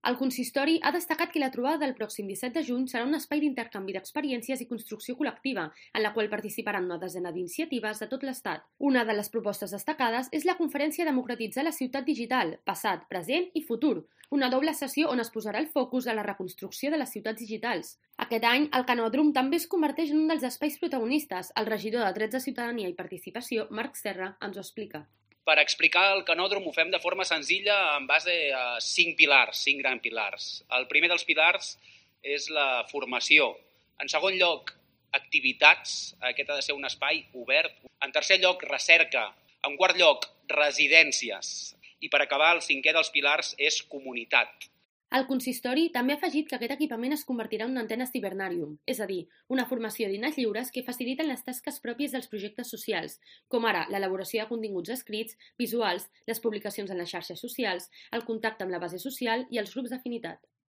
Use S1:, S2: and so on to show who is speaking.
S1: El consistori ha destacat que la trobada del pròxim 17 de juny serà un espai d'intercanvi d'experiències i construcció col·lectiva, en la qual participaran una desena d'iniciatives de tot l'Estat. Una de les propostes destacades és la conferència Democratitzar la ciutat digital, passat, present i futur, una doble sessió on es posarà el focus a la reconstrucció de les ciutats digitals. Aquest any, el Canòdrom també es converteix en un dels espais protagonistes. El regidor de Drets de Ciutadania i Participació, Marc Serra, ens ho explica.
S2: Per explicar el canòdrom ho fem de forma senzilla en base a 5 pilars, 5 grans pilars. El primer dels pilars és la formació. En segon lloc, activitats. Aquest ha de ser un espai obert. En tercer lloc, recerca. En quart lloc, residències. I per acabar, el cinquè dels pilars és comunitat.
S1: El consistori també ha afegit que aquest equipament es convertirà en una antena cibernàrium, és a dir, una formació d'eines lliures que faciliten les tasques pròpies dels projectes socials, com ara l'elaboració de continguts escrits, visuals, les publicacions en les xarxes socials, el contacte amb la base social i els grups d'afinitat.